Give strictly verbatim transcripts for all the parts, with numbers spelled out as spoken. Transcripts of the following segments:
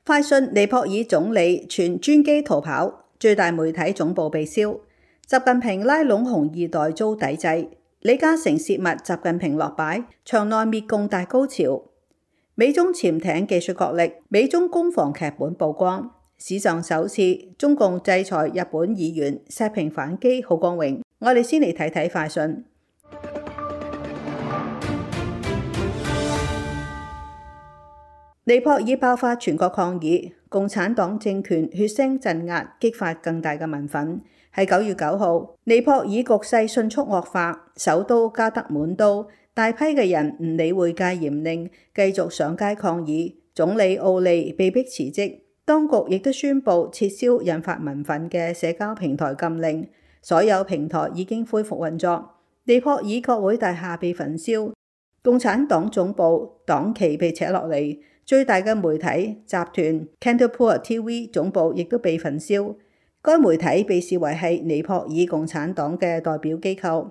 快訊尼泊爾總理全專機逃跑，最大媒體總部被燒。習近平拉攏紅二代遭抵制，李嘉誠洩密習近平落擺，場內滅共大高潮。美中潛艇技術角力，美中攻防劇本曝光。史上首次中共制裁日本議員，石屏反擊好光榮。我哋先嚟睇睇快訊。尼泊爾爆發全國抗議，共產黨政權血腥鎮壓，激發更大嘅民憤。喺九月九號，尼泊爾局勢迅速惡化，首都加德滿都大批嘅人唔理會戒嚴令，繼續上街抗議。總理奧利被迫辭職，當局亦都宣布撤銷引發民憤嘅社交平台禁令，所有平台已經恢復運作。尼泊爾國會大廈被焚燒，共產黨總部黨旗被扯落嚟。最大嘅媒體集團 Kantapur T V 總部亦都被焚燒，該媒體被視為係尼泊爾共產黨嘅代表機構。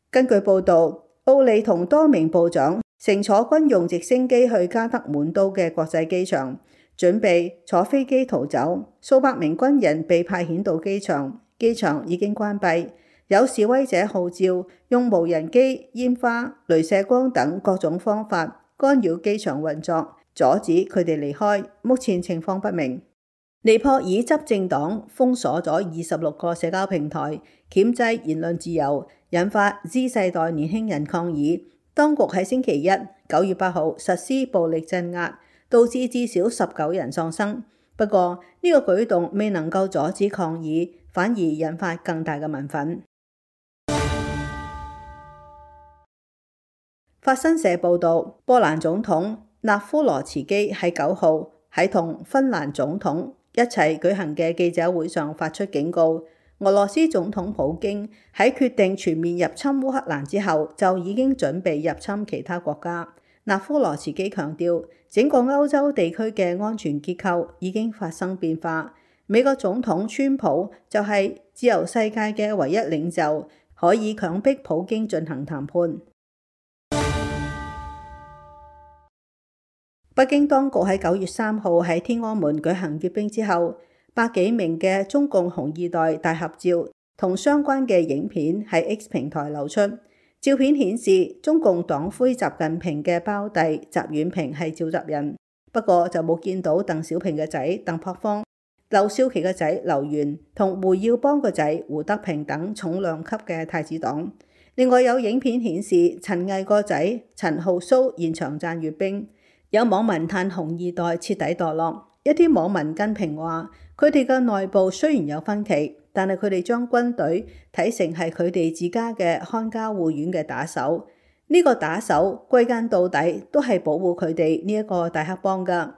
根據報導，奧利同多名部長乘坐軍用直升機去加德滿都嘅國際機場，準備坐飛機逃走。數百名軍人被派遣到機場，機場已經關閉。有示威者號召用無人機、煙花、鐳射光等各種方法干擾機場運作，阻止佢哋離開，目前情況不明。尼泊爾執政黨封鎖咗二十六個社交平台，鉗制言論自由，引發 Z 世代年輕人抗議。當局喺星期一九月八號實施暴力鎮壓，導致至少十九人喪生。不過呢個舉動未能夠阻止抗議，反而引發更大嘅民憤。法新社報導，波蘭總統納夫羅茨基喺九號喺同芬蘭總統一齊舉行嘅記者會上發出警告，俄羅斯總統普京喺決定全面入侵烏克蘭之後，就已經準備入侵其他國家。納夫羅茨基強調，整個歐洲地區嘅安全結構已經發生變化。美國總統川普就係自由世界嘅唯一領袖，可以強迫普京進行談判。北京當局喺九月三號喺天安門舉行閱兵之後，百幾名嘅中共紅二代大合照同相關嘅影片喺 X 平台流出。照片顯示中共黨魁習近平嘅胞弟習遠平係召集人，不過就冇見到鄧小平嘅仔鄧樸方、劉少奇嘅仔劉源同胡耀邦嘅仔胡德平等重量級嘅太子黨。另外有影片顯示陳毅個仔陳浩蘇現場讚閱兵。有網民嘆紅二代徹底墮落，一啲網民跟評話，佢哋嘅內部雖然有分歧，但係佢哋將軍隊睇成係佢哋自家嘅看家護院嘅打手，呢、這個打手歸根到底都係保護佢哋呢一個大黑幫㗎。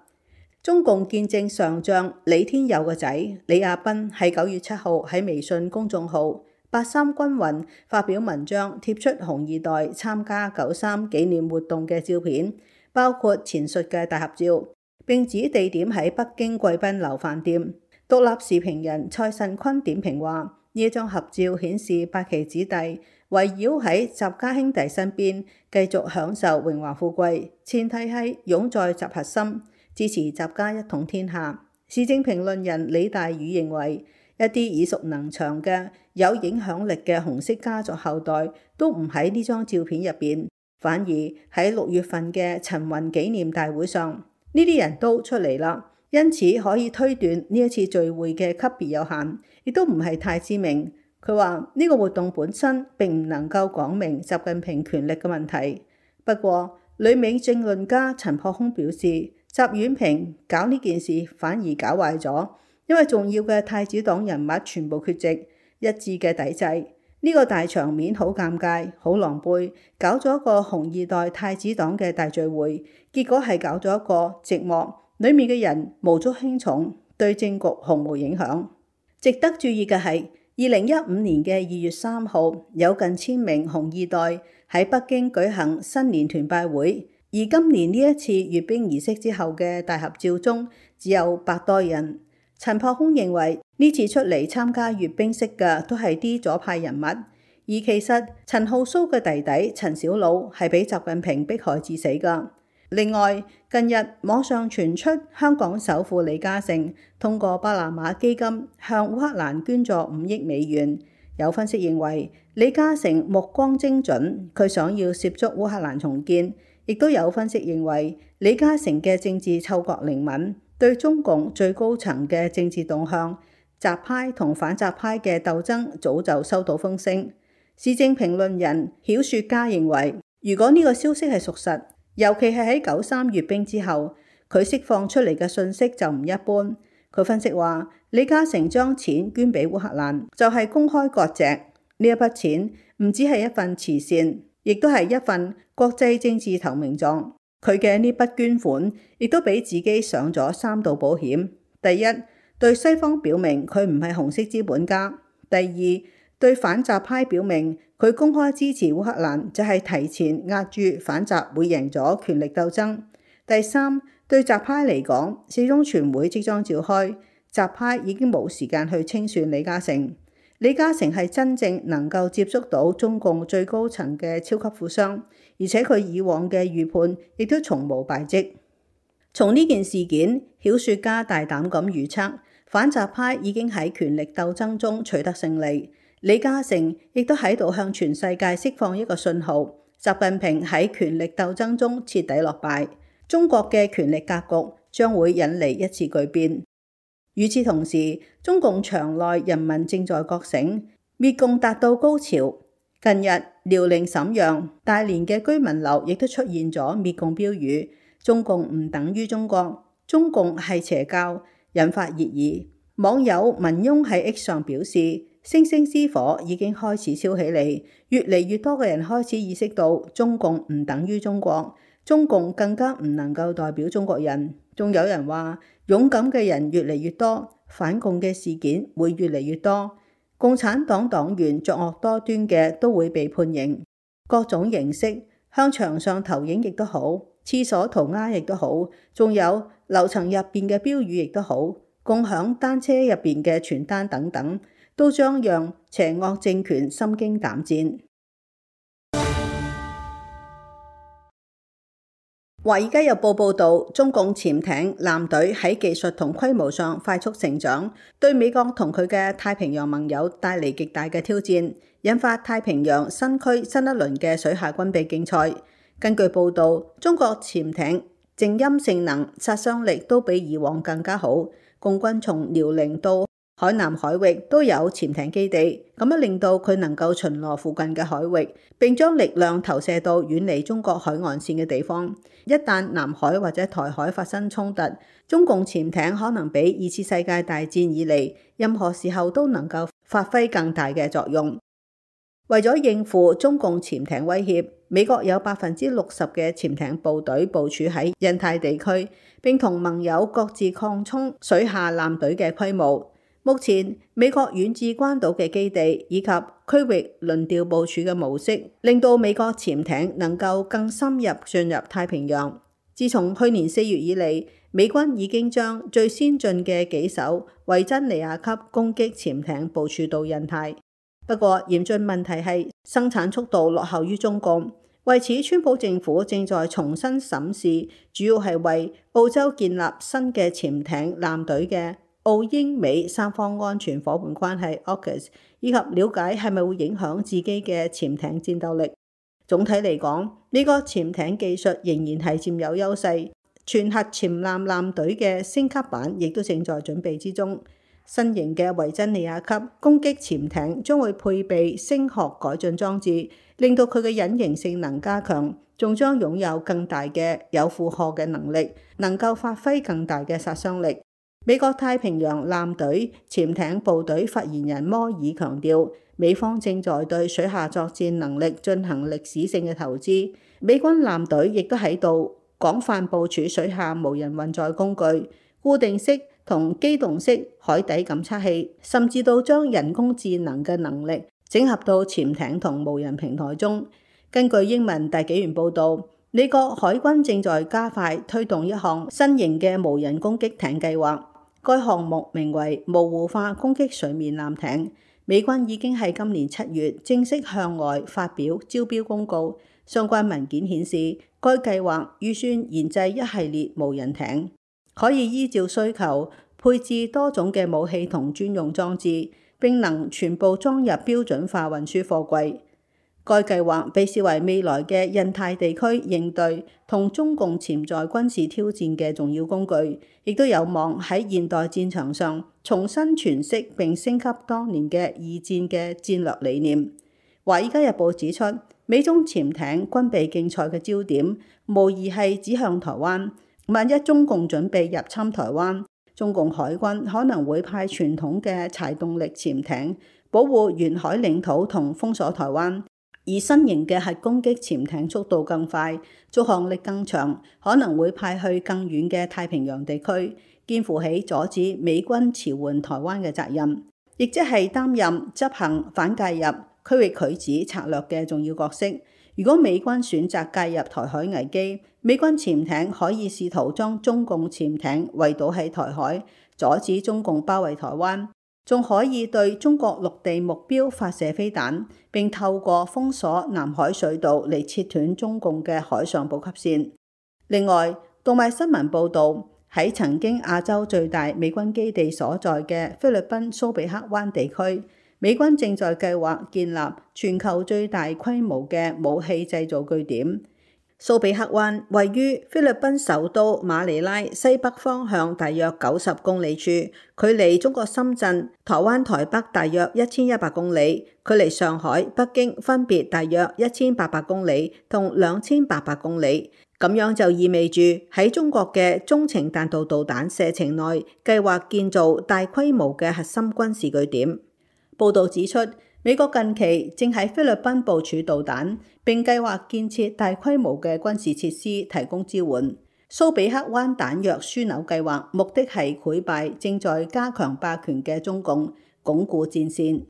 中共建政上將李天佑嘅仔李亞斌喺九月七號喺微信公眾號八三軍運發表文章，貼出紅二代參加九三紀念活動嘅照片，包括前述嘅大合照，並指地點喺北京貴賓樓飯店。獨立時評人蔡慎坤點評話：呢一張合照顯示八旗子弟圍繞喺習家兄弟身邊，繼續享受榮華富貴，前提係擁在習核心，支持習家一統天下。時政評論人李大宇認為，一啲耳熟能詳嘅有影響力嘅紅色家族後代都唔喺呢張照片入邊。反而喺六月份嘅陳雲紀念大會上，呢啲人都出嚟啦，因此可以推斷呢一次聚會嘅級別有限，亦都唔係太知名。佢話呢個活動本身並唔能夠講明習近平權力嘅問題。不過，旅美政論家陳樸空表示，習遠平搞呢件事反而搞壞咗，因為重要嘅太子黨人物全部缺席，一致嘅抵制。呢個大場面好尷尬，好狼狽，搞咗一個紅二代太子黨嘅大聚會，結果係搞咗一個寂寞，裡面嘅人無足輕重，對政局毫無影響。值得注意嘅係，二零一五年嘅二月三號，有近千名紅二代喺北京舉行新年團拜會，而今年呢一次閱兵儀式之後嘅大合照中，只有百多人。陳樸空認為呢次出嚟參加閱兵式嘅都係啲左派人物，而其實陳浩蘇嘅弟弟陳小魯係俾習近平迫害致死㗎。另外，近日網上傳出香港首富李嘉誠通過巴拿馬基金向烏克蘭捐助五億美元。有分析認為李嘉誠目光精準，佢想要涉足烏克蘭重建。亦都有分析認為李嘉誠嘅政治嗅覺靈敏，對中共最高層嘅政治動向、習派同反習派嘅鬥爭早就收到風聲。時政評論人曉雪家認為，如果呢個消息係屬實，尤其係喺九三閱兵之後，佢釋放出嚟嘅信息就唔一般。佢分析話，李嘉誠將錢捐俾烏克蘭，就係公開割席。呢一筆錢唔只係一份慈善，亦都係一份國際政治投名狀。佢嘅呢筆捐款，亦都俾自己上咗三道保險。第一，對西方表明佢唔係紅色資本家；第二，對反習派表明佢公開支持烏克蘭，就係提前壓住反習會贏咗權力鬥爭。第三，對習派嚟講，四中全會即將召開，習派已經冇時間去清算李嘉誠。李嘉誠係真正能夠接觸到中共最高層嘅超級富商，而且佢以往嘅預判亦都從無敗績。從呢件事件，曉雪家大膽咁預測，反習派已經喺權力鬥爭中取得勝利。李嘉誠亦都喺度向全世界釋放一個信號，習近平喺權力鬥爭中徹底落敗，中國嘅權力格局將會引嚟一次巨變。與此同時，中共場內人民正在覺醒，滅共達到高潮。近日，遼寧瀋陽、大連嘅居民樓亦都出現咗滅共標語，中共唔等於中國，中共係邪教，引發熱議。網友文庸喺 X 上表示，星星之火已經開始燒起嚟，越嚟越多嘅人開始意識到中共唔等於中國，中共更加唔能夠代表中國人。仲有人話，勇敢嘅人越嚟越多，反共嘅事件會越嚟越多，共產黨黨員作惡多端嘅都會被判刑。各種形式，向牆上投影亦都好，廁所塗鴉亦都好，仲有樓層入邊嘅標語亦都好，共享單車入邊嘅傳單等等，都將讓邪惡政權心驚膽戰。華爾街日報報導，中共潛艇艦隊喺技術同規模上快速成長，對美國同佢嘅太平洋盟友帶嚟極大嘅挑戰，引發太平洋新區新一輪嘅水下軍備競賽。根據報導，中國潛艇靜音性能、殺傷力都比以往更加好，共軍從遼寧到海南海域都有潛艇基地，咁樣令到佢能夠巡邏附近嘅海域，並將力量投射到遠離中國海岸線嘅地方。一旦南海或者台海發生衝突，中共潛艇可能比二次世界大戰以嚟任何時候都能夠發揮更大嘅作用。為咗應付中共潛艇威脅，美國有百分之六十嘅潛艇部隊部署喺印太地區，並同盟友各自擴充水下艦隊嘅規模。目前，美國遠至關島嘅基地以及區域輪調部署嘅模式，令到美國潛艇能夠更深入進入太平洋。自從去年四月以嚟，美軍已經將最先進嘅幾艘維珍尼亞級攻擊潛艇部署到印太。不過，嚴峻問題係生產速度落後於中共。為此，川普政府正在重新審視，主要係為澳洲建立新嘅潛艇艦隊嘅澳英美三方安全夥伴關係 A U K U S， 以及了解係咪會影響自己嘅潛艇戰鬥力。總體嚟講，美國潛艇技術仍然係佔有優勢，全核潛艦艦隊嘅升級版亦都正在準備之中。新型嘅維珍尼亞級攻擊潛艇將會配備聲學改進裝置，令到佢嘅隱形性能加強，仲將擁有更大嘅有負荷嘅能力，能夠發揮更大嘅殺傷力。美國太平洋艦隊潛艇部隊發言人摩爾強調，美方正在對水下作戰能力進行歷史性嘅投資，美軍艦隊亦都喺度廣泛部署水下無人運載工具、固定式同機動式海底感測器，甚至到將人工智能嘅能力整合到潛艇同無人平台中。根據英文大紀元報導，美國海軍正在加快推動一項新型嘅無人攻擊艇計劃，該項目名為模糊化攻擊水面艦艇。美軍已經喺今年七月正式向外發表招標公告，相關文件顯示，該計劃預算研製一系列無人艇，可以依照需求配置多種嘅武器同專用裝置，並能全部裝入標準化運輸貨櫃。該計劃被視為未來嘅印太地區應對同中共潛在軍事挑戰嘅重要工具，亦都有望喺現代戰場上重新詮釋並升級當年嘅二戰嘅戰略理念。《華爾街日報》指出，美中潛艇軍備競賽嘅焦點無疑係指向台灣。萬一中共準備入侵台灣，中共海軍可能會派傳統嘅柴動力潛艇保護沿海領土同封鎖台灣，而新型嘅核攻擊潛艇速度更快，續航力更長，可能會派去更遠嘅太平洋地區，肩負起阻止美軍馳援台灣嘅責任，亦即係擔任執行反介入區域拒止策略嘅重要角色。如果美軍選擇介入台海危機，美軍潛艇可以試圖將中共潛艇圍堵喺台海，阻止中共包圍台灣，仲可以對中國陸地目標發射飛彈，並透過封鎖南海水道嚟切斷中共嘅海上補給線。另外，讀賣新聞報導，喺曾經亞洲最大美軍基地所在嘅菲律賓蘇比克灣地區，美軍正在計劃建立全球最大規模嘅武器製造據點。蘇比克灣位於菲律賓首都馬尼拉西北方向大約九十公里處，距離中國深圳、台灣台北大約一千一百公里，距離上海、北京分別大約一千八百公里同兩千八百公里。咁樣就意味住喺中國嘅中程彈道導彈射程內計劃建造大規模嘅核心軍事據點。報導指出，美國近期正喺菲律賓部署導彈，並計劃建設大規模嘅軍事設施提供支援。蘇比克灣彈藥樞紐計劃目的係潰敗正在加強霸權嘅中共，鞏固戰線。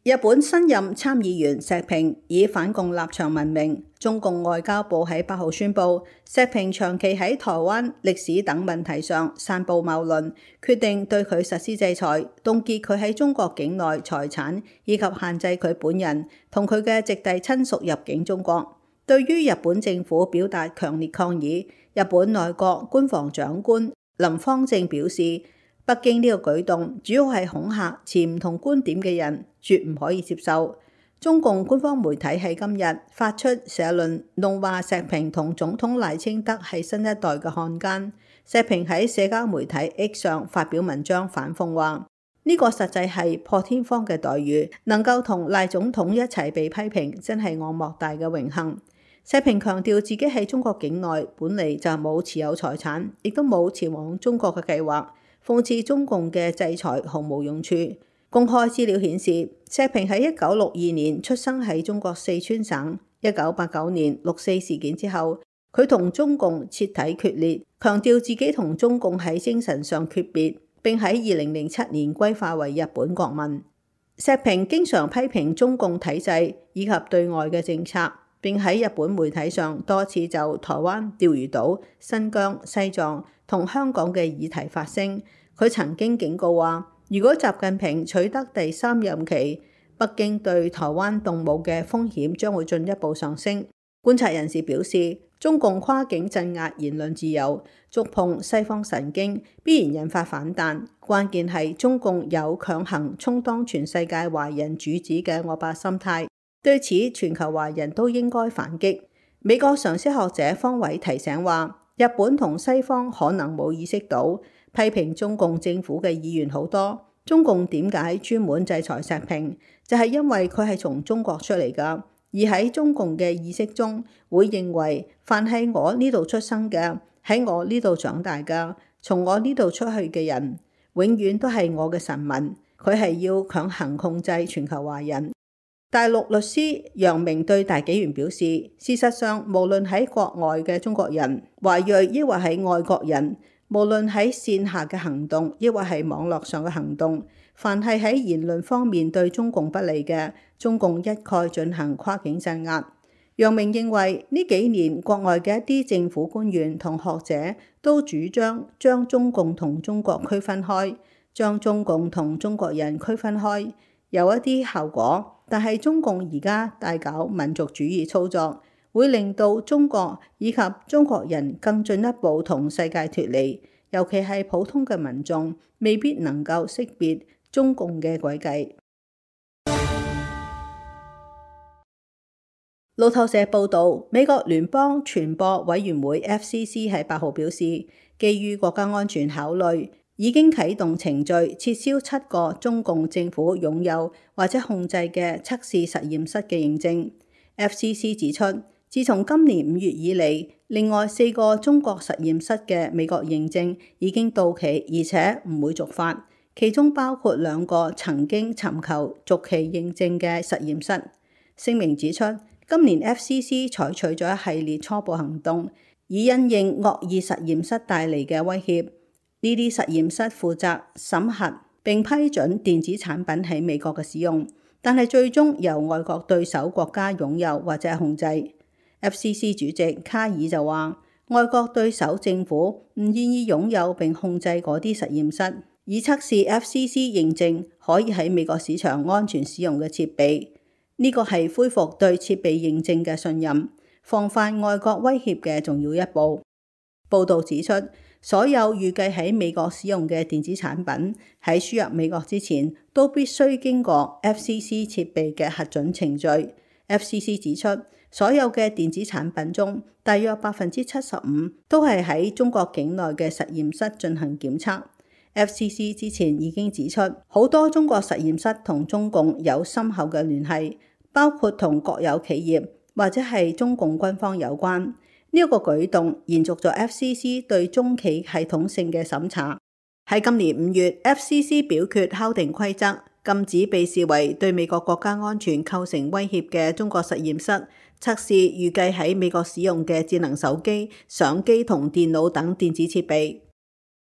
日本新任參議員石平以反共立場聞名，中共外交部喺八號宣布，石平長期喺台灣、歷史等問題上散布謬論，決定對佢實施制裁，凍結佢喺中國境內財產，以及限制佢本人同佢嘅直系親屬入境中國。對於日本政府表達強烈抗議，日本內閣官房長官林芳正表示，北京呢個舉動主要係恐嚇持唔同觀點嘅人，絕唔可以接受。中共官方媒體喺今日發出社論，怒話石平同總統賴清德係新一代嘅漢奸。石平喺社交媒體 X 上發表文章反諷話，呢個實際係破天荒嘅待遇，能夠同賴總統一齊被批評，真係我莫大嘅榮幸。石平強調自己喺中國境內本嚟就冇持有財產，亦都冇前往中國嘅計劃。諷刺中共嘅制裁毫無用處。公開資料顯示，石平喺一九六二年出生喺中國四川省。一九八九年六四事件之後，佢同中共徹底決裂，強調自己同中共喺精神上決別，並喺二零零七年歸化為日本國民。石平經常批評中共體制以及對外嘅政策，並喺日本媒體上多次就台灣、釣魚島、新疆、西藏同香港嘅議題發聲。佢曾經警告話，如果習近平取得第三任期，北京對台灣動武嘅風險將會進一步上升。觀察人士表示，中共跨境鎮壓言論自由，觸碰西方神經，必然引發反彈。關鍵係中共有強行充當全世界華人主子嘅惡霸心態，對此全球華人都應該反擊。美國常識學者方偉提醒話，日本同西方可能冇意識到，批評中共政府嘅議員好多。中共點解專門制裁石平？就係因為佢係從中國出嚟㗎，而喺中共嘅意識中，會認為凡係我呢度出生嘅，喺我呢度長大嘅，從我呢度出去嘅人，永遠都係我嘅臣民。佢係要強行控制全球華人。大陸律師楊明對大紀元表示，事實上，無論喺國外嘅中國人、華裔，抑或係外國人，無論喺線下嘅行動，抑或係網絡上嘅行動，凡係喺言論方面對中共不利嘅，中共一概進行跨境鎮壓。楊明認為呢幾年國外嘅一啲政府官員同學者都主張將中共同中國區分開，將中共同中國人區分開，有一啲效果，但係中共而家大搞民族主義操作，會令到中國以及中國人更進一步同世界脫離，尤其係普通嘅民眾未必能夠識別中共嘅詭計。路透社報導，美國聯邦傳播委員會 F C C 喺八號表示，基於國家安全考慮，已經啟動程序撤銷七個中共政府擁有或者控制嘅測試實驗室嘅認證。F C C 指出，自從今年五月以嚟，另外四個中國實驗室嘅美國認證已經到期，而且唔會續發，其中包括兩個曾經尋求續期認證嘅實驗室。聲明指出，今年 F C C 採取咗一系列初步行動，以因應惡意實驗室帶嚟嘅威脅。呢啲實驗室負責審核並批准電子產品喺美國嘅使用，但係最終由外國對手國家擁有或者控制。F C C 主席卡爾就話，外國對手政府唔願意擁有並控制嗰啲實驗室，以測試 F C C 認證可以喺美國市場安全使用嘅設備。呢個係恢復對設備認證嘅信任，防範外國威脅嘅重要一步。報導指出，所有預計喺美國使用嘅電子產品喺輸入美國之前，都必須經過 F C C 設備嘅核准程序。F C C 指出，所有嘅電子產品中，大約百分之七十五都係喺中國境內嘅實驗室進行檢測。F C C 之前已經指出，好多中國實驗室同中共有深厚嘅聯繫，包括同國有企業或者係中共軍方有關。呢一個舉動延續咗 F C C 對中企系統性嘅審查。喺今年五月 ，F C C 表決敲定規則，禁止被視為對美國國家安全構成威脅嘅中國實驗室測試預計喺美國使用嘅智能手機、相機同電腦等電子設備。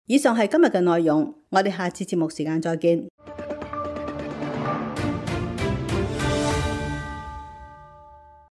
以上係今日嘅內容，我哋下次節目時間再見。